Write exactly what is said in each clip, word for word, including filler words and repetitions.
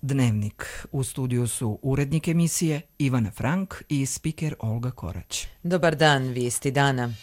Dnevnik. U studiju su urednik emisije Ivana Frank i spiker Olga Korać. Dobar dan, vijesti dana.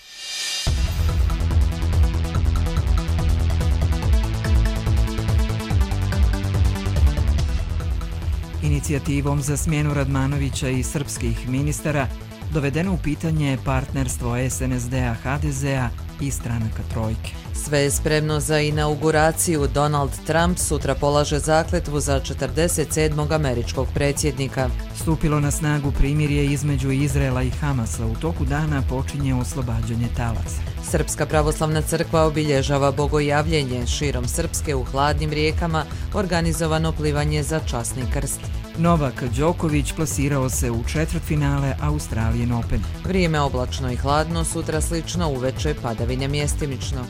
Inicijativom za smjenu Radmanovića i srpskih ministara dovedeno u pitanje partnerstvo es en es de-a, ha de ze-a i stranaka trojke. Sve je spremno za inauguraciju. Donald Trump sutra polaže zakletvu za četrdeset sedmog američkog predsjednika. Stupilo na snagu primirje između Izraela i Hamasa. U toku dana počinje oslobađanje talaca. Srpska pravoslavna crkva obilježava bogojavljenje. Širom Srpske u hladnim rijekama organizovano plivanje za časni krst. Novak Đoković plasirao se u četvrtfinale Australian Open. Vrijeme oblačno i hladno, sutra slično, uveče padavine mjestimično.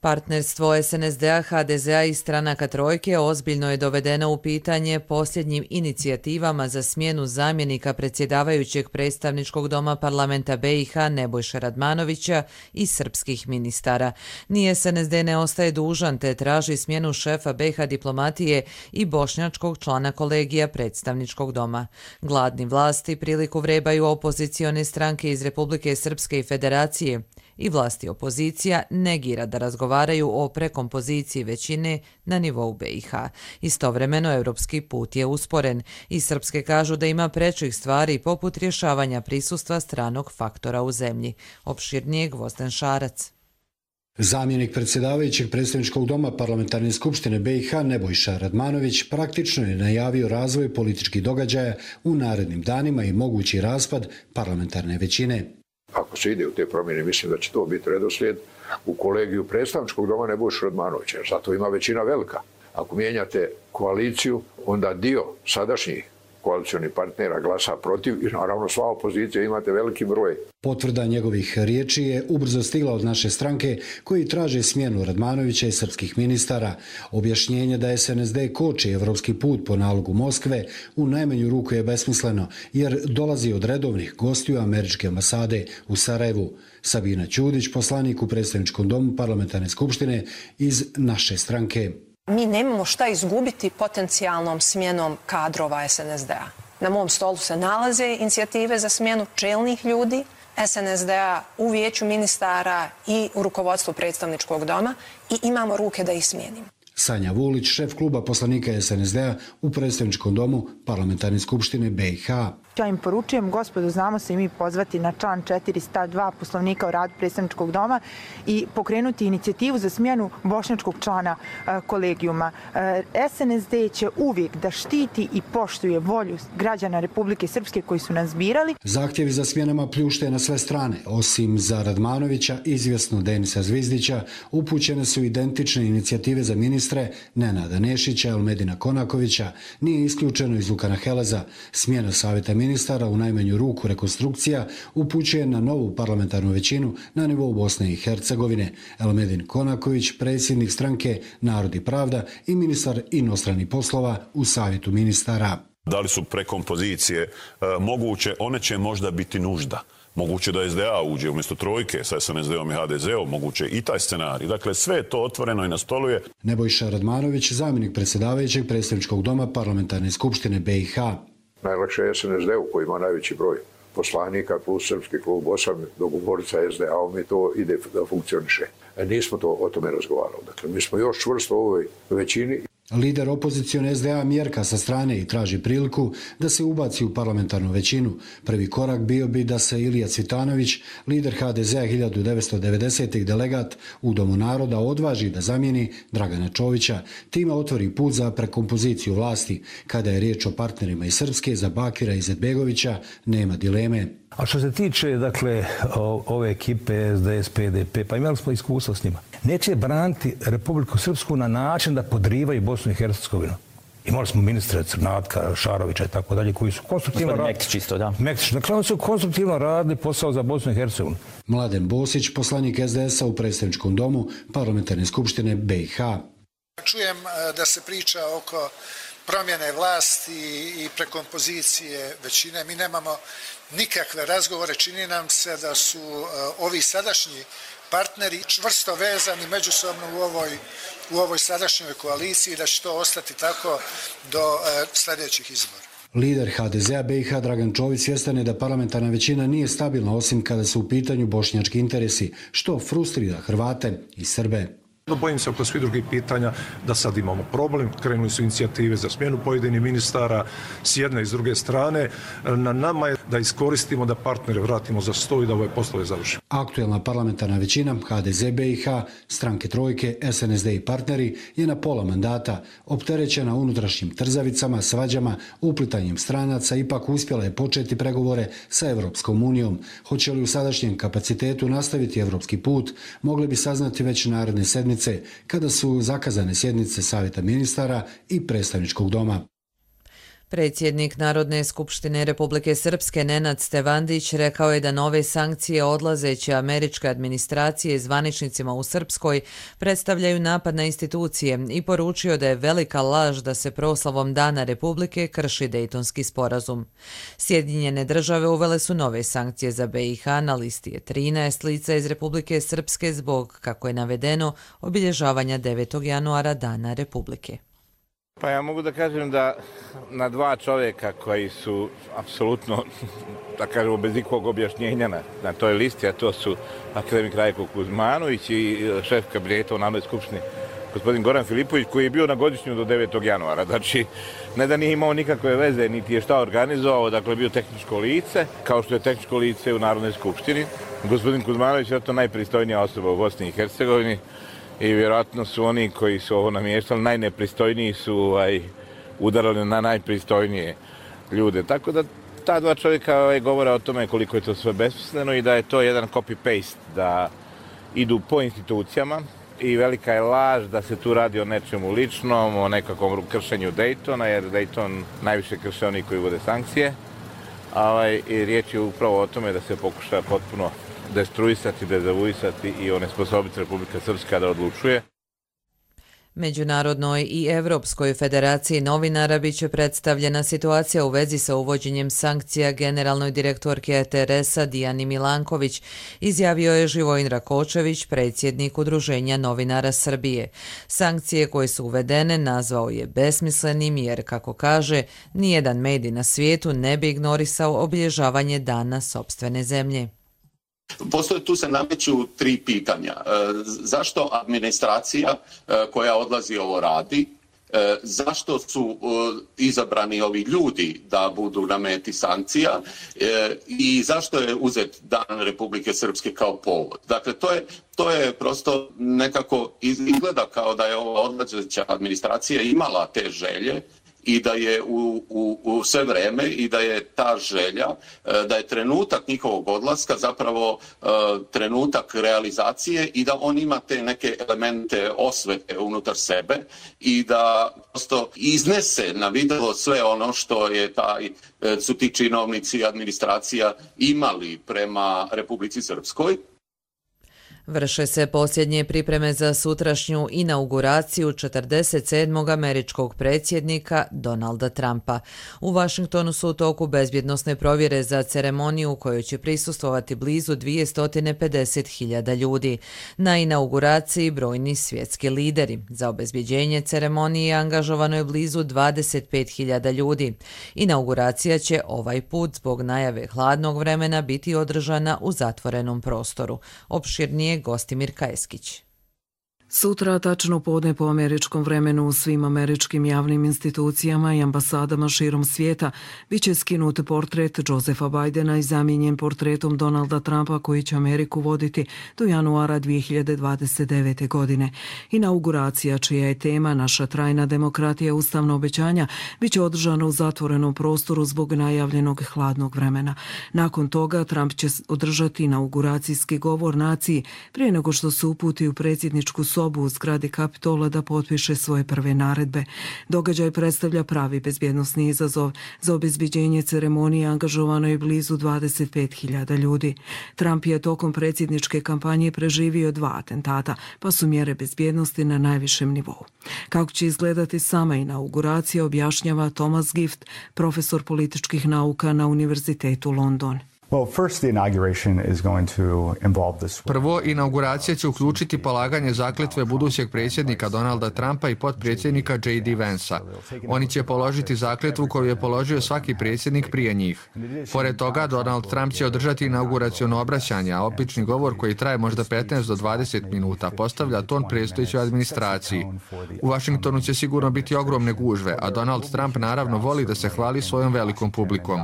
Partnerstvo es en es de-a, ha de ze-a i stranaka trojke ozbiljno je dovedeno u pitanje posljednjim inicijativama za smjenu zamjenika predsjedavajućeg predstavničkog doma parlamenta be i ha Nebojše Radmanovića i srpskih ministara. Ni es en es de ne ostaje dužan te traži smjenu šefa be i ha diplomatije i bošnjačkog člana kolegija predstavničkog doma. Gladni vlasti priliku vrebaju opozicione stranke iz Republike Srpske i Federacije i vlasti opozicija negira da razgovaraju o prekompoziciji većine na nivou be i ha. Istovremeno, europski put je usporen i srpske kažu da ima prečih stvari poput rješavanja prisustva stranog faktora u zemlji. Opširnije Gvozden Šarac. Zamjenik predsjedavajućeg predstavničkog doma parlamentarne skupštine be i ha Nebojša Radmanović praktično je najavio razvoj političkih događaja u narednim danima i mogući raspad parlamentarne većine. Ako se ide u te promjene, mislim da će to biti redoslijed u kolegiju predstavničkog doma Nebojše Radmanovića, jer zato ima većina velika. Ako mijenjate koaliciju, onda dio sadašnjih koalicionih partnera glasa protiv i naravno sva opozicija imate veliki broj. Potvrda njegovih riječi je ubrzo stigla od naše stranke koji traže smjenu Radmanovića i srpskih ministara. Objašnjenje da es en es de koči evropski put po nalogu Moskve u najmanju ruku je besmisleno jer dolazi od redovnih gostiju američke ambasade u Sarajevu. Sabina Ćudić, poslanik u predstavničkom domu parlamentarne skupštine iz naše stranke. Mi nemamo šta izgubiti potencijalnom smjenom kadrova es en es de-a. Na mom stolu se nalaze inicijative za smjenu čelnih ljudi es en es de-a u vijeću ministara i u rukovodstvu predstavničkog doma i imamo ruke da ih smijenimo. Sanja Vulić, šef kluba poslanika es en es de-a u predstavničkom domu parlamentarne skupštine be i ha. Ja im poručujem, gospodo, znamo se i mi pozvati na član četiri stav dva Poslovnika o radu predstavničkog doma i pokrenuti inicijativu za smjenu bošnjačkog člana e, kolegijuma. E, es en es de će uvijek da štiti i poštuje volju građana Republike Srpske koji su nas birali. Zahtjevi za smjenama pljušte na sve strane. Osim za Radmanovića, izvjesno Denisa Zvizdića, upućene su identične inicijative za ministre Nenada Nešića, Elmedina Konakovića, nije isključeno iz Vukana Heleza. Smjena savjeta ministara u najmanju ruku rekonstrukcija upućuje na novu parlamentarnu većinu na nivou Bosne i Hercegovine. Elmedin Konaković, predsjednik stranke Narod i pravda i ministar inostranih poslova u savjetu ministara. Da li su prekompozicije e, moguće? One će možda biti nužda. Moguće da es de a uđe umjesto trojke sa es en es de-om i ha de ze-om, moguće i taj scenarij. Dakle, sve je to otvoreno i na stolu je. Nebojša Radmanović, zamjenik predsjedavajućeg predstavničkog doma parlamentarne skupštine be i ha. Najlakše je es en es de-u koji ima najveći broj poslanika plus srpski klub osam dogovoriti sa es de a-om i to ide da funkcioniše. Nismo to o tome razgovarali. Dakle, mi smo još čvrsto u ovoj većini. Lider opozicione es de a mjerka sa strane i traži priliku da se ubaci u parlamentarnu većinu. Prvi korak bio bi da se Ilija Cvitanović, lider ha de ze-a hiljadu devetsto devedesetih delegat u Domu naroda, odvaži da zamijeni Dragana Čovića. Time otvori put za prekompoziciju vlasti. Kada je riječ o partnerima iz Srpske, za Bakira Izetbegovića nema dileme. A što se tiče, dakle, ove ekipe es de es, pe de pe, pa imali smo iskustvo s njima. Neće braniti Republiku Srpsku na način da podrivaju Bosnu i Hercegovinu. Imali smo ministre Crnatka, Šarovića i tako dalje, koji su konstruktivno radili. Mektić isto, da. Mektić. Dakle, oni su konstruktivno radili posao za Bosnu i Hercegovinu. Mladen Bosić, poslanik es de es-a u predstavničkom domu parlamentarne skupštine be i ha. Čujem da se priča oko promjene vlasti i prekompozicije većine. Mi nemamo nikakve razgovore. Čini nam se da su ovi sadašnji partneri čvrsto vezani međusobno u ovoj, u ovoj sadašnjoj koaliciji i da će to ostati tako do e, sljedećih izbora. Lider ha de zea be i ha Dragan Čović svjestan je da parlamentarna većina nije stabilna osim kada su u pitanju bošnjački interesi, što frustrira Hrvate i Srbe. Bojim se oko svih drugih pitanja da sad imamo problem. Krenuli su inicijative za smjenu pojedinih ministara s jedne i s druge strane. Na nama je da iskoristimo, da partnere vratimo za sto i da ove poslove završimo. Aktuelna parlamentarna većina ha de ze be i ha, stranke Trojke, es en es de i partneri je na pola mandata. Opterećena unutrašnjim trzavicama, svađama, uplitanjem stranaca, ipak uspjela je početi pregovore sa Evropskom unijom. Hoće li u sadašnjem kapacitetu nastaviti evropski put, mogli bi saznati već naredne sedmice kada su zakazane sjednice Savjeta ministara i Predstavničkog doma. Predsjednik Narodne skupštine Republike Srpske Nenad Stevandić rekao je da nove sankcije odlazeće američke administracije zvaničnicima u Srpskoj predstavljaju napad na institucije i poručio da je velika laž da se proslavom Dana Republike krši Dejtonski sporazum. Sjedinjene države uvele su nove sankcije za be i ha, na listi je trinaest lica iz Republike Srpske zbog, kako je navedeno, obilježavanja devetog januara Dana Republike. Pa ja mogu da kažem da na dva čovjeka koji su apsolutno, da kažemo, bez ikog objašnjenja na, na toj listi, a to su akademik Rajko Kuzmanović i šef kabineta u Narodnoj skupštini gospodin Goran Filipović, koji je bio na godišnju do devetog januara. Znači, ne da nije imao nikakve veze, niti je šta organizovao, dakle bio tehničko lice, kao što je tehničko lice u Narodnoj skupštini. Gospodin Kuzmanović je to najpristojnija osoba u Bosni i Hercegovini. I vjerojatno su oni koji su ovo namještali, najnepristojniji su ovaj, udarali na najpristojnije ljude. Tako da ta dva čovjeka ovaj, govore o tome koliko je to sve besmisleno i da je to jedan copy-paste, da idu po institucijama i velika je laž da se tu radi o nečemu ličnom, o nekakvom kršenju Daytona, jer Dayton najviše krše oni koji uvode sankcije. Ovaj, i riječ je upravo o tome da se pokuša potpuno destruisati, dezavuisati i onesposobiti Republika Srpska da odlučuje. Međunarodnoj i Evropskoj federaciji novinara biće predstavljena situacija u vezi sa uvođenjem sankcija generalnoj direktorki E T R S-a Dijani Milanković, izjavio je Živojin Rakočević, predsjednik Udruženja novinara Srbije. Sankcije koje su uvedene nazvao je besmislenim jer, kako kaže, nijedan medij na svijetu ne bi ignorisao obilježavanje dana sopstvene zemlje. Postoje, tu se nameću tri pitanja. E, zašto administracija e, koja odlazi ovo radi? E, zašto su e, izabrani ovi ljudi da budu na meti sankcija? E, I zašto je uzet Dan Republike Srpske kao povod? Dakle, to je, to je prosto nekako izgleda kao da je ova odlazeća administracija imala te želje i da je u, u, u sve vreme i da je ta želja, da je trenutak njihovog odlaska zapravo uh, trenutak realizacije i da on ima te neke elemente osvete unutar sebe i da prosto iznese na videlo sve ono što je taj, su ti činovnici i administracija imali prema Republici Srpskoj. Vrše se posljednje pripreme za sutrašnju inauguraciju četrdeset sedmog američkog predsjednika Donalda Trumpa. U Vašingtonu su u toku bezbjednosne provjere za ceremoniju u kojoj će prisustvovati blizu dvjesto pedeset hiljada ljudi. Na inauguraciji brojni svjetski lideri. Za obezbjeđenje ceremonije angažovano je blizu dvadeset pet hiljada ljudi. Inauguracija će ovaj put zbog najave hladnog vremena biti održana u zatvorenom prostoru. Opširnije Gostimir Kajeskić. Sutra, tačno podne po američkom vremenu, u svim američkim javnim institucijama i ambasadama širom svijeta biće skinut portret Josefa Bidena i zamijenjen portretom Donalda Trumpa koji će Ameriku voditi do januara dvije hiljade dvadeset devete. godine. Inauguracija, čija je tema Naša trajna demokratija, ustavna obećanja, biće održana u zatvorenom prostoru zbog najavljenog hladnog vremena. Nakon toga Trump će održati inauguracijski govor naciji prije nego što se uputi u predsjedničku sobu u zgradi Kapitola da potpiše svoje prve naredbe. Događaj predstavlja pravi bezbjednosni izazov. Za obezbeđenje ceremonije angažovano je blizu dvadeset pet hiljada ljudi. Trump je tokom predsjedničke kampanje preživio dva atentata, pa su mjere bezbjednosti na najvišem nivou. Kako će izgledati sama inauguracija, objašnjava Thomas Gift, profesor političkih nauka na Univerzitetu London. Prvo, inauguracija će uključiti polaganje zakletve budućeg predsjednika Donalda Trumpa i potpredsjednika J D Vansa. Oni će položiti zakletvu koju je položio svaki predsjednik prije njih. Pored toga, Donald Trump će održati inauguraciono obraćanje, a obični govor koji traje možda petnaest do dvadeset minuta postavlja ton predstojećoj administraciji. U Vašingtonu će sigurno biti ogromne gužve, a Donald Trump naravno voli da se hvali svojom velikom publikom.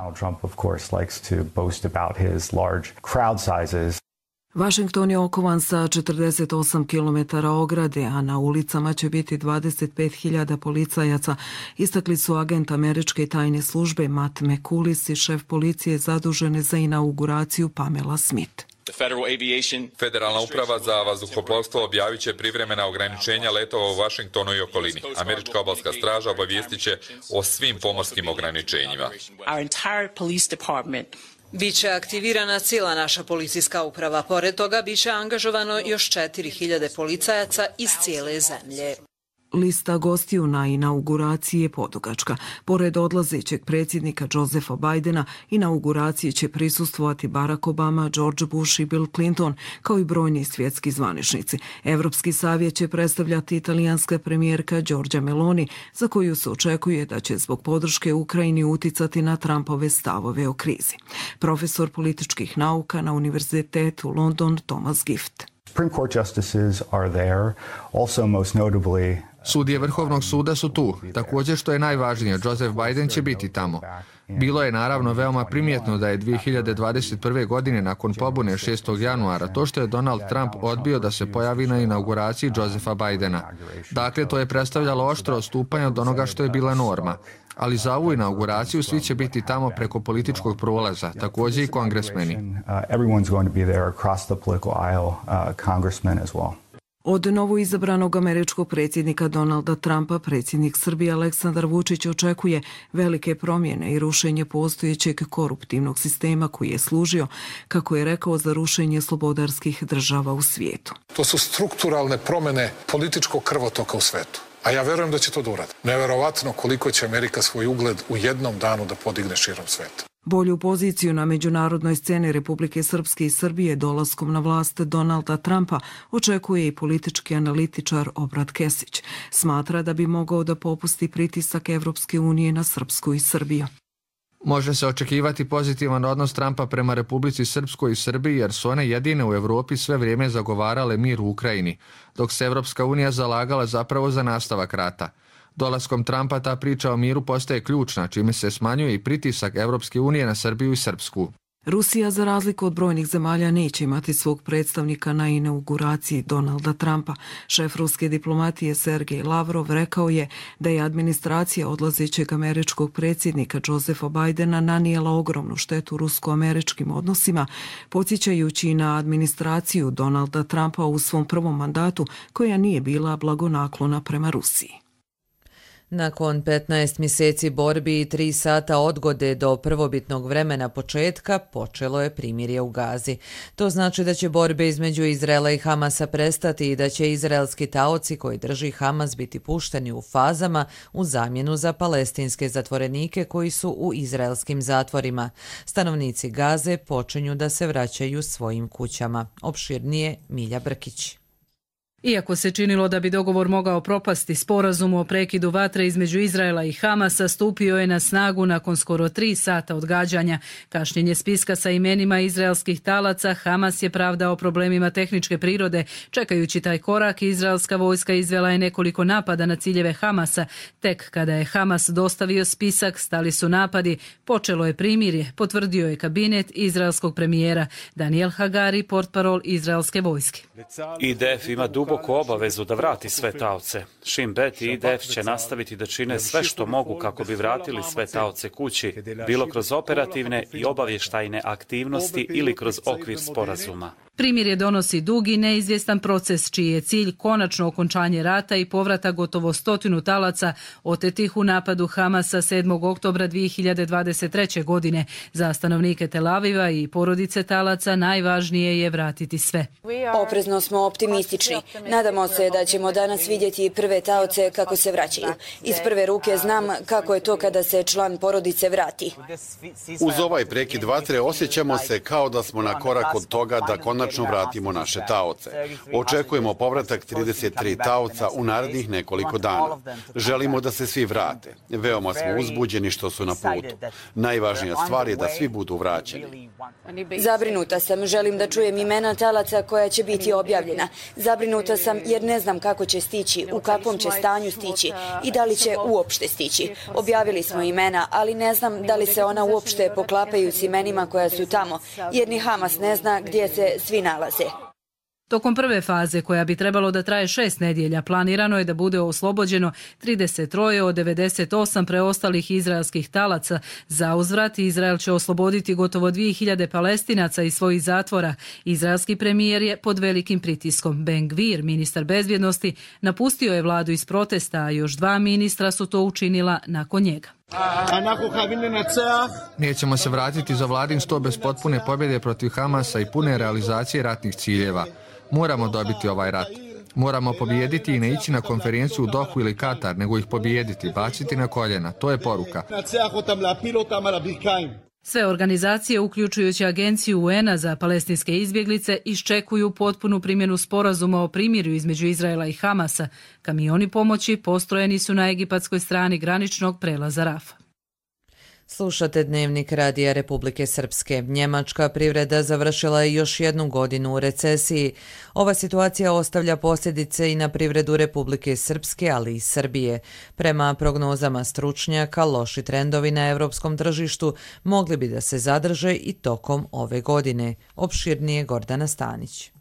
Washington je okovan sa četrdeset osam kilometara ograde, a na ulicama će biti dvadeset pet hiljada policajaca, istakli su agent američke tajne službe Matt McCulis i šef policije zadužene za inauguraciju Pamela Smith. Federalna uprava za vazduhoplovstvo objavit će privremena ograničenja letova u Washingtonu i okolini. Američka obalska straža obavijestit će o svim pomorskim ograničenjima. Biće aktivirana cijela naša policijska uprava. Pored toga, biće angažovano još četiri hiljade policajaca iz cijele zemlje. Lista gostiju na inauguraciji je podugačka. Pored odlazećeg predsjednika Josepha Bidena, inauguraciji će prisustvovati Barack Obama, George Bush i Bill Clinton, kao i brojni svjetski zvaničnici. Evropski savjet će predstavljati italijanska premijerka Giorgia Meloni, za koju se očekuje da će zbog podrške Ukrajini uticati na Trumpove stavove o krizi. Profesor političkih nauka na Univerzitetu London Thomas Gift. Supreme Court justices are there, also most notably Sudije Vrhovnog suda su tu. Također, što je najvažnije, Joseph Biden će biti tamo. Bilo je naravno veoma primjetno da je dvije hiljade dvadeset prve. godine nakon pobune šestog januara to što je Donald Trump odbio da se pojavi na inauguraciji Josepha Bidena. Dakle, to je predstavljalo oštro odstupanje od onoga što je bila norma. Ali za ovu inauguraciju svi će biti tamo preko političkog prolaza, također i kongresmeni. Od novoizabranog američkog predsjednika Donalda Trumpa, predsjednik Srbije Aleksandar Vučić očekuje velike promjene i rušenje postojećeg koruptivnog sistema koji je služio, kako je rekao, za rušenje slobodarskih država u svijetu. To su strukturalne promjene političkog krvotoka u svetu. A ja verujem da će to da uradi. Neverovatno koliko će Amerika svoj ugled u jednom danu da podigne širom sveta. Bolju poziciju na međunarodnoj sceni Republike Srpske i Srbije dolaskom na vlast Donalda Trumpa očekuje i politički analitičar Obrat Kesić. Smatra da bi mogao da popusti pritisak Evropske unije na Srpsku i Srbiju. Može se očekivati pozitivan odnos Trumpa prema Republici Srpskoj i Srbiji, jer su one jedine u Evropi sve vrijeme zagovarale mir u Ukrajini, dok se Evropska unija zalagala zapravo za nastavak rata. Dolaskom Trumpa ta priča o miru postaje ključna, čime se smanjuje i pritisak Evropske unije na Srbiju i Srpsku. Rusija, za razliku od brojnih zemalja, neće imati svog predstavnika na inauguraciji Donalda Trumpa. Šef ruske diplomatije Sergej Lavrov rekao je da je administracija odlazećeg američkog predsjednika Josepha Bidena nanijela ogromnu štetu rusko-američkim odnosima, podsjećajući na administraciju Donalda Trumpa u svom prvom mandatu, koja nije bila blagonaklona prema Rusiji. Nakon petnaest mjeseci borbi i tri sata odgode do prvobitnog vremena početka, počelo je primirje u Gazi. To znači da će borbe između Izraela i Hamasa prestati i da će izraelski taoci koji drži Hamas biti pušteni u fazama u zamjenu za palestinske zatvorenike koji su u izraelskim zatvorima. Stanovnici Gaze počinju da se vraćaju svojim kućama. Opširnije Milja Brkić. Iako se činilo da bi dogovor mogao propasti, sporazum o prekidu vatre između Izraela i Hamasa stupio je na snagu nakon skoro tri sata odgađanja. Kašnjenje spiska sa imenima izraelskih talaca Hamas je pravdao problemima tehničke prirode. Čekajući taj korak, izraelska vojska izvela je nekoliko napada na ciljeve Hamasa. Tek kada je Hamas dostavio spisak, stali su napadi. Počelo je primirje, potvrdio je kabinet izraelskog premijera. Daniel Hagari, portparol izraelske vojske. I D F ima duboku obavezu da vrati sve taoce. Shin Bet i I D F će nastaviti da čine sve što mogu kako bi vratili sve taoce kući, bilo kroz operativne i obavještajne aktivnosti ili kroz okvir sporazuma. Primirje donosi dug i neizvjestan proces čiji je cilj konačno okončanje rata i povrata gotovo stotinu talaca otetih u napadu Hamasa sedmog oktobra dvije hiljade dvadeset treće. godine. Za stanovnike Tel Aviva i porodice talaca najvažnije je vratiti sve. Oprezno smo optimistični. Nadamo se da ćemo danas vidjeti prve taoce kako se vraćaju. Iz prve ruke znam kako je to kada se član porodice vrati. Uz ovaj prekid vatre osjećamo se kao da smo na korak od toga da konačno vratimo naše taoce. Očekujemo povratak trideset tri taoca u narednih nekoliko dana. Želimo da se svi vrate. Veoma smo uzbuđeni što su na putu. Najvažnija stvar je da svi budu vraćeni. Zabrinuta sam, želim da čujem imena talaca koja će biti objavljena. Zabrinuta sam jer ne znam kako će stići, u kakvom će stanju stići i da li će uopšte stići. Objavili smo imena, ali ne znam da li se ona uopšte poklapaju s imenima koja su tamo, jer ni Hamas ne zna gdje se svi nalaze. Tokom prve faze, koja bi trebalo da traje šest nedjelja, planirano je da bude oslobođeno trideset tri od devedeset osam preostalih izraelskih talaca. Za uzvrat, Izrael će osloboditi gotovo dvije hiljade Palestinaca iz svojih zatvora. Izraelski premijer je pod velikim pritiskom. Ben Gvir, ministar bezbjednosti, napustio je vladu iz protesta, a još dva ministra su to učinila nakon njega. Nećemo se vratiti za vladin sto bez potpune pobjede protiv Hamasa i pune realizacije ratnih ciljeva. Moramo dobiti ovaj rat. Moramo pobijediti i ne ići na konferenciju u Dohu ili Katar, nego ih pobijediti, baciti na koljena. To je poruka. Sve organizacije, uključujući Agenciju U N a za palestinske izbjeglice, iščekuju potpunu primjenu sporazuma o primirju između Izraela i Hamasa. Kamioni pomoći postrojeni su na egipatskoj strani graničnog prelaza Rafa. Slušate Dnevnik Radija Republike Srpske. Njemačka privreda završila je još jednu godinu u recesiji. Ova situacija ostavlja posljedice i na privredu Republike Srpske, ali i Srbije. Prema prognozama stručnjaka, loši trendovi na europskom tržištu mogli bi da se zadrže i tokom ove godine. Opširnije Gordana Stanić.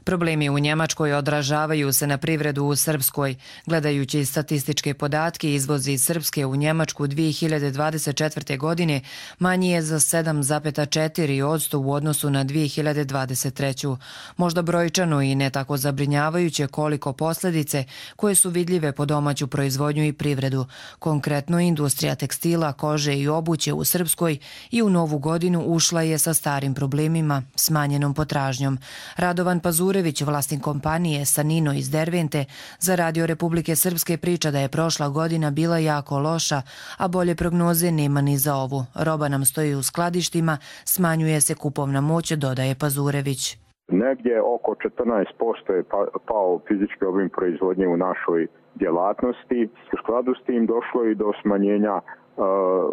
Problemi u Njemačkoj odražavaju se na privredu u Srpskoj. Gledajući statističke podatke, izvoz iz Srpske u Njemačku dvije hiljade dvadeset četvrte. godine manji je za sedam zarez četiri posto u odnosu na dvije hiljade dvadeset treću. Možda brojčano i ne tako zabrinjavajuće koliko posljedice koje su vidljive po domaću proizvodnju i privredu. Konkretno, industrija tekstila, kože i obuće u Srpskoj i u novu godinu ušla je sa starim problemima, smanjenom potražnjom. Radovan Pazurević, vlasnik kompanije Sanino iz Dervente, za Radio Republike Srpske priča da je prošla godina bila jako loša, a bolje prognoze nema ni za ovu. Roba nam stoji u skladištima, smanjuje se kupovna moć, dodaje Pazurević. Negdje oko četrnaest posto je pao fizički obim proizvodnje u našoj djelatnosti. U skladu s tim došlo i do smanjenja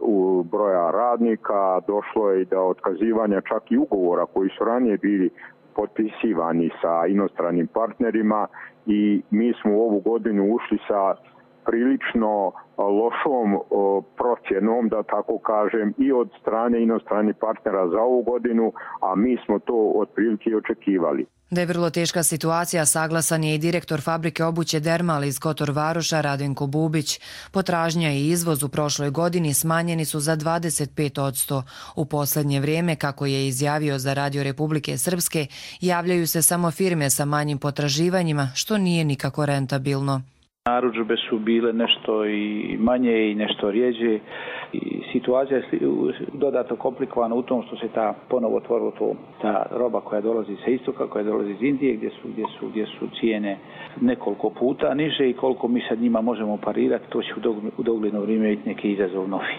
u broja radnika, došlo je i do otkazivanja čak i ugovora koji su ranije bili potpisivani sa inostranim partnerima i mi smo u ovu godinu ušli sa prilično lošom procjenom, da tako kažem, i od strane inostranih partnera za ovu godinu, a mi smo to otprilike očekivali. Da je vrlo teška situacija, saglasan je i direktor fabrike obuće Dermal iz Kotor Varoša Radenko Bubić. Potražnja i izvoz u prošloj godini smanjeni su za dvadeset pet posto. U posljednje vrijeme, kako je izjavio za Radio Republike Srpske, javljaju se samo firme sa manjim potraživanjima, što nije nikako rentabilno. Narudžbe su bile nešto i manje i nešto rijeđe i situacija je dodatno komplikovana u tom što se ta ponovo otvorila to, ta roba koja dolazi sa istoka, koja dolazi iz Indije, gdje su, gdje su, gdje su cijene nekoliko puta niže i koliko mi sad njima možemo parirati, to će u dogledno vrijeme biti neki izazov novi.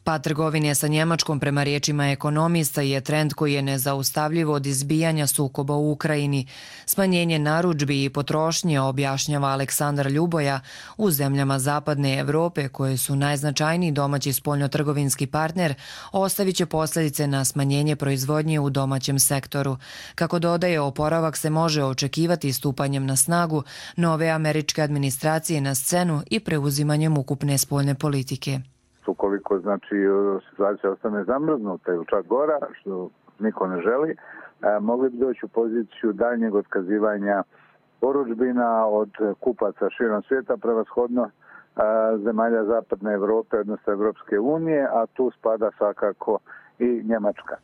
Pad trgovine sa Njemačkom, prema riječima ekonomista, je trend koji je nezaustavljiv od izbijanja sukoba u Ukrajini. Smanjenje narudžbi i potrošnje, objašnjava Aleksandar Ljuboja, u zemljama zapadne Evrope, koje su najznačajniji domaći spoljnotrgovinski partner, ostavit će posljedice na smanjenje proizvodnje u domaćem sektoru. Kako dodaje, oporavak se može očekivati stupanjem na snagu nove američke administracije na scenu i preuzimanjem ukupne spoljne politike. Ukoliko znači situacija ostane zamrznuta ili čak gora, što niko ne želi, mogli bi doći u poziciju daljnjeg otkazivanja porudžbina od kupaca širom svijeta, prevashodno zemalja zapadne Evrope, odnosno Evropske unije, a tu spada svakako i Njemačka.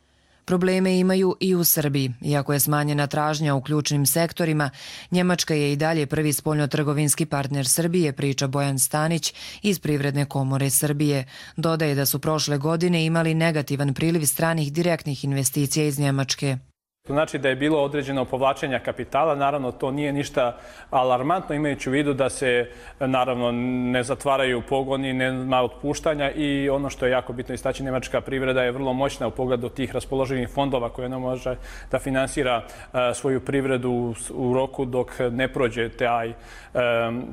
Probleme imaju i u Srbiji. Iako je smanjena tražnja u ključnim sektorima, Njemačka je i dalje prvi spoljnotrgovinski partner Srbije, priča Bojan Stanić iz Privredne komore Srbije. Dodaje da su prošle godine imali negativan priliv stranih direktnih investicija iz Njemačke. To znači da je bilo određeno povlačenja kapitala, naravno to nije ništa alarmantno, imajući u vidu da se naravno ne zatvaraju pogoni, nema otpuštanja i ono što je jako bitno istaći, njemačka privreda je vrlo moćna u pogledu tih raspoloživih fondova koje ona može da finansira svoju privredu u roku dok ne prođe taj,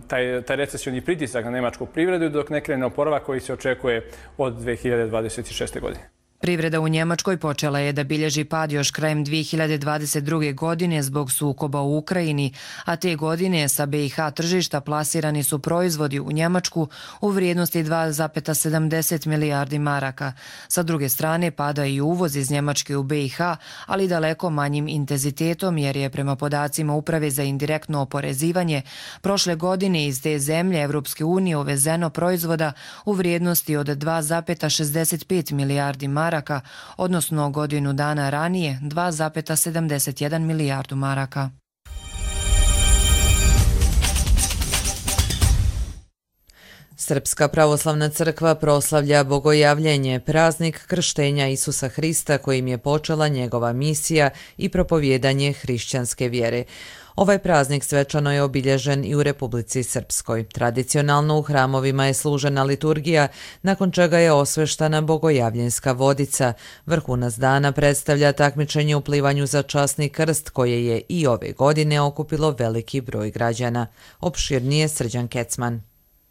taj, taj recesioni pritisak na njemačku privredu i dok ne krene oporavak koji se očekuje od dve hiljade dvadeset šeste. godine. Privreda u Njemačkoj počela je da bilježi pad još krajem dve hiljade dvadeset druge. godine zbog sukoba u Ukrajini, a te godine sa B i H tržišta plasirani su proizvodi u Njemačku u vrijednosti dva zarez sedamdeset milijardi maraka. Sa druge strane pada i uvoz iz Njemačke u B i H, ali daleko manjim intenzitetom jer je prema podacima Uprave za indirektno oporezivanje prošle godine iz te zemlje Evropske unije uvezeno proizvoda u vrijednosti od dva zarez šezdeset pet milijardi maraka, odnosno godinu dana ranije dva zarez sedamdeset jedan milijardu maraka. Srpska pravoslavna crkva proslavlja Bogojavljenje, praznik krštenja Isusa Hrista kojim je počela njegova misija i propovijedanje hrišćanske vjere. Ovaj praznik svečano je obilježen i u Republici Srpskoj. Tradicionalno u hramovima je služena liturgija, nakon čega je osveštana bogojavljenska vodica. Vrhunac dana predstavlja takmičenje u plivanju za časni krst koje je i ove godine okupilo veliki broj građana. Opširnije Srđan Kecman.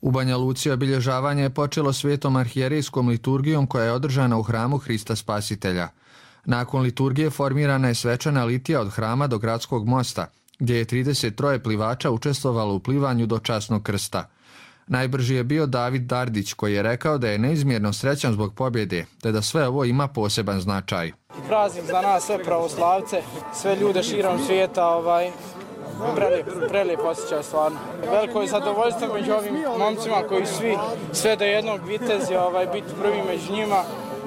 U Banja Luci obilježavanje je počelo svetom arhijerejskom liturgijom koja je održana u hramu Hrista Spasitelja. Nakon liturgije formirana je svečana litija od hrama do gradskog mosta, gdje je trideset tri plivača učestvovalo u plivanju do časnog krsta. Najbrži je bio David Dardić koji je rekao da je neizmjerno srećan zbog pobjede, te da sve ovo ima poseban značaj. Praznik za nas sve pravoslavce, sve ljude širom svijeta, ovaj, prelijep, prelijep osjećaj stvarno. Veliko je zadovoljstvo među ovim momcima koji svi, sve do jednog vitezi, ovaj, biti prvi među njima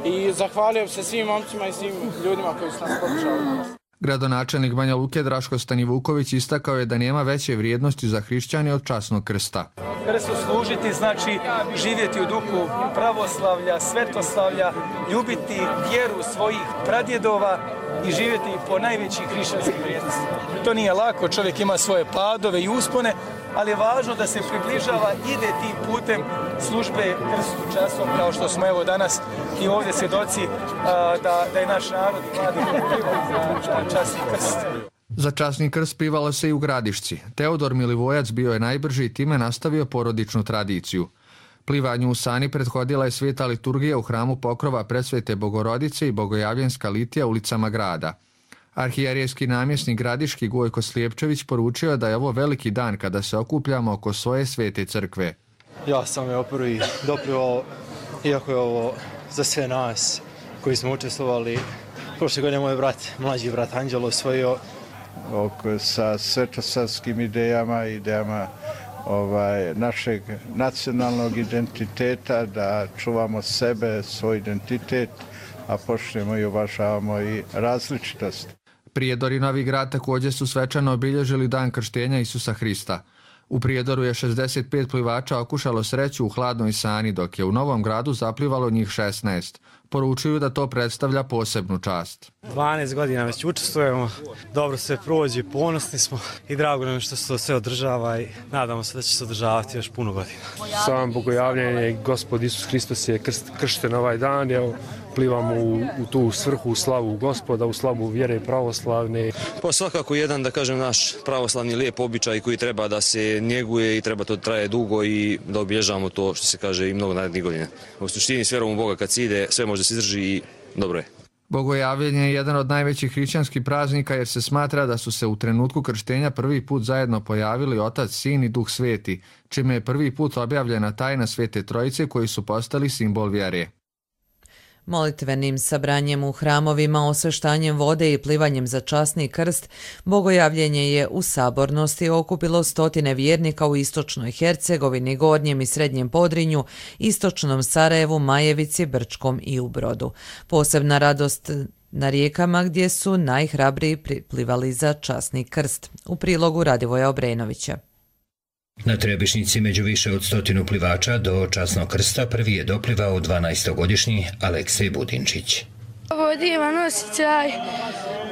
i zahvalio se svim momcima i svim ljudima koji su nas podržali. Gradonačelnik Banja Luke Draško Stanivuković istakao je da nema veće vrijednosti za hrišćane od časnog krsta. Krstu služiti znači živjeti u duhu pravoslavlja, svetoslavlja, ljubiti vjeru svojih pradjedova i živjeti po najvećih hrišćanskih vrijednostima. To nije lako, čovjek ima svoje padove i uspone, ali je važno da se približava, ide tim putem službe krstu častom, kao što smo evo danas i ovdje svjedoci da, da je naš narod mladi za časni krst. Za časni krst pivalo se i u Gradišci. Teodor Milivojac bio je najbrži i time nastavio porodičnu tradiciju. Plivanju u sani prethodila je sveta liturgija u hramu Pokrova Presvete Bogorodice i bogojavljenska litija ulicama grada. Arhijerejski namjesnik Gradiški Gojko Slijepčević poručio da je ovo veliki dan kada se okupljamo oko svoje svete crkve. Ja sam je prvi doprio, iako je ovo za sve nas koji smo učestvovali. Prošle godine moj brat, mlađi brat Anđelo osvojio. Sa svetosarskim idejama, idejama ovaj, našeg nacionalnog identiteta, da čuvamo sebe, svoj identitet, a počnemo i uvažavamo i različitost. Prijedor i Novi Grad također su svečano obilježili dan krštenja Isusa Hrista. U Prijedoru je šezdeset pet plivača okušalo sreću u hladnoj sani, dok je u Novom Gradu zaplivalo njih šesnaest. Poručuju da to predstavlja posebnu čast. dvanaest godina već učestvujemo, dobro se prođe, ponosni smo i drago nam što se to sve održava i nadamo se da će se održavati još puno godina. Sam bogojavljenje, Gospod Isus Hristos je krst, kršten ovaj dan, evo, plivamo u, u tu svrhu, u slavu Gospoda, u slavu vjere pravoslavne. Pa svakako jedan, da kažem, naš pravoslavni lijep običaj koji treba da se njeguje i treba to traje dugo i da obilježavamo to, što se kaže, i mnogo narednih godina. U suštini s vjerom u Boga kad se ide, sve može se izdrži i dobro je. Bogojavljenje je jedan od najvećih hrišćanskih praznika jer se smatra da su se u trenutku krštenja prvi put zajedno pojavili Otac, Sin i Duh Sveti, čime je prvi put objavljena tajna Svete Trojice koji su postali simbol vjere. Molitvenim sabranjem u hramovima, osveštanjem vode i plivanjem za časni krst, bogojavljenje je u sabornosti okupilo stotine vjernika u istočnoj Hercegovini, Gornjem i Srednjem Podrinju, istočnom Sarajevu, Majevici, Brčkom i u Brodu. Posebna radost na rijekama gdje su najhrabriji plivali za časni krst. U prilogu Radivoja Obrenovića. Na Trebišnici među više od stotinu plivača do časnog krsta prvi je doplivao dvanaestogodišnji Aleksej Budinčić. Ovo je divan osjećaj.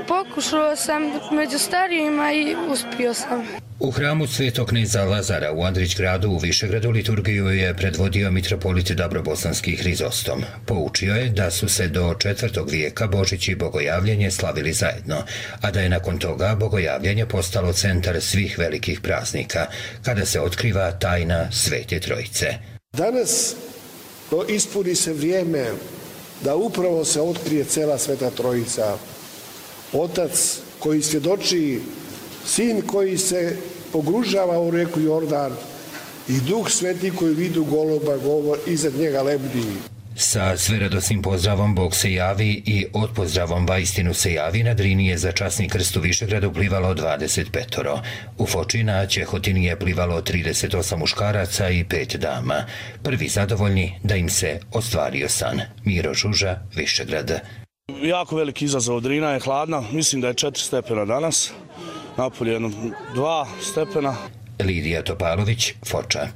Pokušao sam među starijima i uspio sam. U hramu Svetog kneza Lazara u Andrićgradu u Višegradu liturgiju je predvodio mitropolit Dabrobosanski Hrizostom. Poučio je da su se do četvrtog vijeka Božić i bogojavljenje slavili zajedno, a da je nakon toga bogojavljenje postalo centar svih velikih praznika, kada se otkriva tajna Svete Trojice. Danas ispuni se vrijeme da upravo se otkrije cela Sveta Trojica. Otac koji svjedoči, Sin koji se pogružava u reku Jordan i Duh Sveti koji vidu goloba govor iznad njega lebdi. Sa sveradosnim pozdravom Bog se javi i od pozdravom Vaistinu se javi na Drini je za časni krst u Višegradu plivalo dvadeset petoro. U Foči na Ćehotini je plivalo trideset osam muškaraca i pet dama. Prvi zadovoljni da im se ostvario san. Miro Žuža, Višegrad. Jako veliki izazov, Drina je hladna, mislim da je četiri stepena danas, napolje jedno dva stepena. Lidija Topalović, Foča.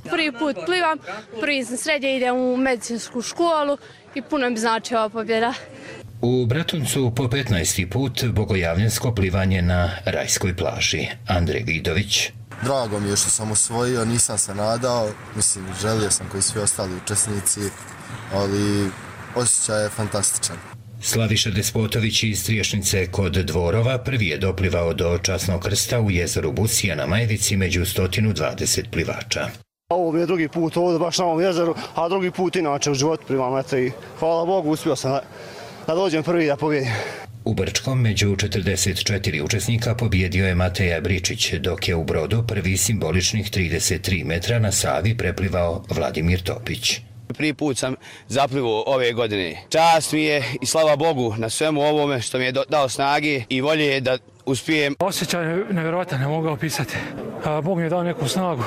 Prvi put plivam, prvi sam srednje, idem u medicinsku školu i puno mi znači ova pobjeda. U Bratuncu po petnaesti put bogojavljensko plivanje na Rajskoj plaži. Andrej Vidović. Drago mi je što sam osvojio, nisam se nadao, mislim, želio sam koji svi ostali učesnici, ali osjećaj je fantastičan. Slaviša Despotović iz Triješnice kod Dvorova prvi je doplivao do časnog krsta u jezeru Busija na Majvici među sto dvadeset plivača. Ovo mi je drugi put ovdje baš na ovom jezeru, a drugi put inače u životu plivam, eto i hvala Bogu uspio sam da, da dođem prvi da pobjedim. U Brčkom među četrdeset četiri učesnika pobjedio je Mateja Bričić, dok je u Brodu prvi simboličnih trideset tri metra na Savi preplivao Vladimir Topić. Prvi put sam zaplivao ove godine. Čast mi je i slava Bogu na svemu ovome što mi je dao snage i volje da uspijem. Osjećaj je nevjerojatan, ne mogu ga opisati. Bog mi je dao neku snagu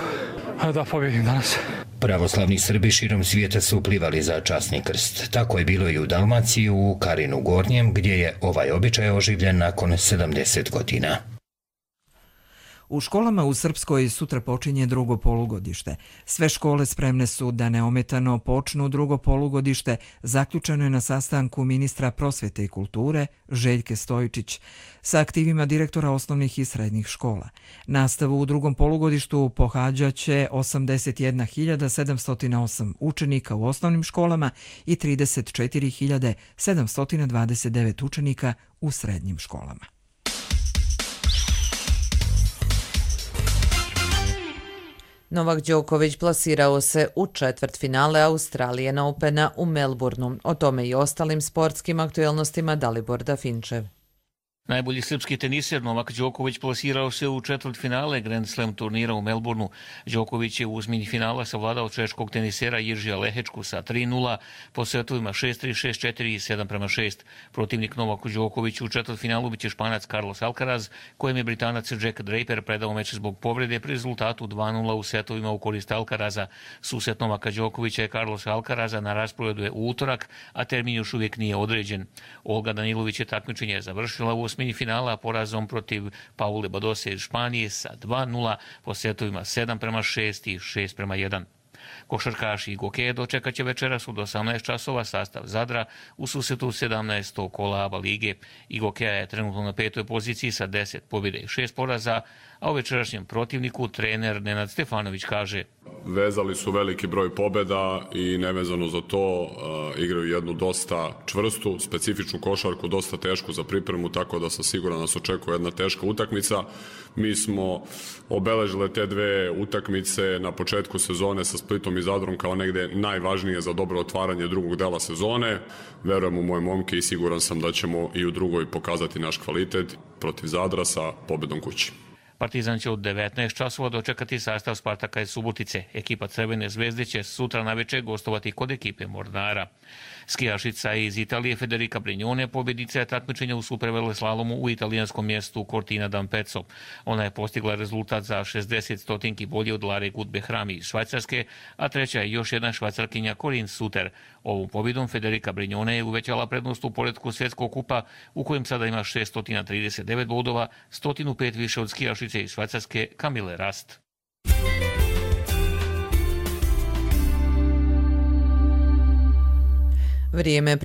da pobjedim danas. Pravoslavni Srbi širom svijeta su plivali za časni krst. Tako je bilo i u Dalmaciji, u Karinu Gornjem, gdje je ovaj običaj oživljen nakon sedamdeset godina. U školama u Srpskoj sutra počinje drugo polugodište. Sve škole spremne su da neometano počnu drugo polugodište, zaključeno je na sastanku ministra prosvjete i kulture Željke Stojičić sa aktivima direktora osnovnih i srednjih škola. Nastavu u drugom polugodištu pohađaće osamdeset jedna hiljada sedamsto osam učenika u osnovnim školama i trideset četiri hiljade sedamsto dvadeset devet učenika u srednjim školama. Novak Đoković plasirao se u četvrtfinale Australian Opena u Melbourneu. O tome i ostalim sportskim aktuelnostima Dalibor Dafinčev. Najbolji srpski teniser Novak Đoković plasirao se u četvrtfinale Grand Slam turnira u Melbourneu. Đoković je u osmini finala savladao češkog tenisera Jiržija Lehečku sa tri nula po setovima šest tri, šest četiri i sedam prema šest. Protivnik Novaku Đokoviću u četvrtfinalu biće Španac Carlos Alcaraz, kojem je Britanac Jack Draper predao meč zbog povrede pri rezultatu dva nula u setovima u korist Alcaraza. Susret Novaka Đokovića je Carlos Alcaraza na rasporedu je u utorak, a termin još uvijek nije određen. Olga Danilović je takmičenje završila u osmini finala porazom protiv Paule Badose iz Španije sa dva nula po setovima sedam prema šest i šest prema jedan. Košarkaši i Gokeje dočekat će večeras od osamnaest časova sastav Zadra u susretu sedamnaestog kola ABA lige. Gokeja je trenutno na petoj poziciji sa deset pobjede i šest poraza, a o večerašnjem protivniku trener Nenad Stefanović kaže: Vezali su veliki broj pobjeda i nevezano za to uh, igraju jednu dosta čvrstu, specifičnu košarku, dosta tešku za pripremu, tako da sam siguran da nas očekuje jedna teška utakmica. Mi smo obeležile te dve utakmice na početku sezone sa Splitom i Zadrom kao negde najvažnije za dobro otvaranje drugog dela sezone. Verujem u moje momke i siguran sam da ćemo i u drugoj pokazati naš kvalitet protiv Zadra sa pobjedom kući. Partizan će od devetnaest časova dočekati sastav Spartaka iz Subotice. Ekipa Crvene zvezde će sutra naveče gostovati kod ekipe Mornara. Skijašica iz Italije Federica Brignone pobjedica je takmičenja u superveleslalomu u italijanskom mjestu Cortina d'Ampezzo. Ona je postigla rezultat za šezdeset stotinki bolje od Lare Gutbehrami iz Švajcarske, a treća je još jedna Švajcarkinja Corinne Suter. Ovom pobjedom Federica Brignone je uvećala prednost u poretku svjetskog kupa u kojem sada ima šesto trideset devet bodova, sto pet više od skijašice iz Švajcarske Camille Rast. Vrijeme je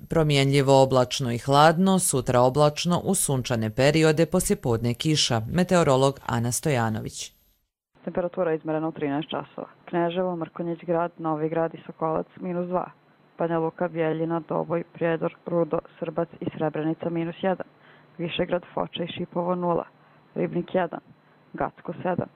promjenljivo oblačno i hladno, sutra oblačno uz sunčane periode, poslijepodne kiša. Meteorolog Ana Stojanović. Temperatura izmerena u trinaest časova. Kneževo, Mrkonjić grad, Novi grad i Sokolac minus dva. Banja Luka, Bjeljina, Doboj, Prijedor, Rudo, Srbac i Srebrenica minus jedan. Višegrad, Foča i Šipovo nula. Ribnik jedan. Gacko sedam.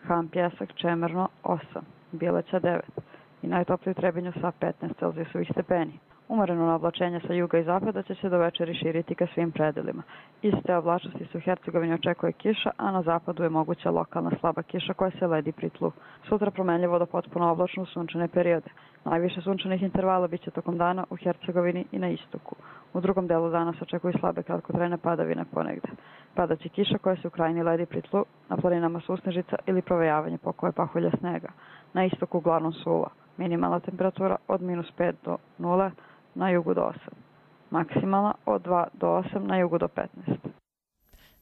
Han, Pjesak, Čemerno osam. Bileća devet. I najtopliji u Trebinju sa petnaest Celzijusovih stepeni. Umereno oblačenje sa juga i zapada će se do večeri širiti ka svim predelima. Iste oblačnosti se u Hercegovini očekuje kiša, a na zapadu je moguća lokalna slaba kiša koja se ledi pri tlu. Sutra promenljivo do potpuno oblačno u sunčane periode. Najviše sunčanih intervala biće tokom dana u Hercegovini i na istoku. U drugom delu dana se očekuju slabe kratkotrajne padavine ponegde. Padaće kiša koja se u krajini ledi pri tlu, na planinama susnežica ili provejavanje pokoje pahulja snega. Na istoku uglavnom suva. Minimalna temperatura od minus pet do nule, na jugu do osam. Maksimalna od dva do osam, na jugu do petnaest.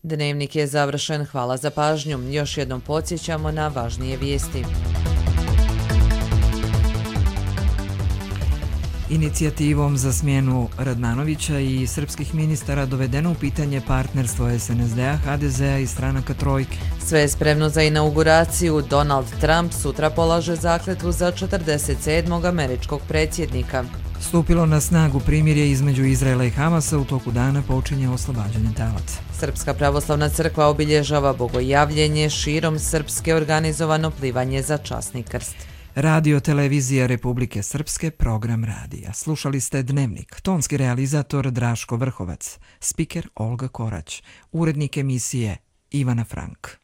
Dnevnik je završen. Hvala za pažnju. Još jednom podsjećamo na važnije vijesti. Inicijativom za smjenu Radmanovića i srpskih ministara dovedeno u pitanje partnerstvo es en es de a, ha de ze a i stranaka Trojke. Sve je spremno za inauguraciju. Donald Trump sutra polaže zakletvu za četrdeset sedmog američkog predsjednika. Stupilo na snagu primirje između Izraela i Hamasa, u toku dana počinje oslobađanje talaca. Srpska pravoslavna crkva obilježava bogojavljenje, širom Srpske organizovano plivanje za časni krst. Radio Televizija Republike Srpske, program radija. Slušali ste Dnevnik, tonski realizator Draško Vrhovac, spiker Olga Korać, urednik emisije Ivana Frank.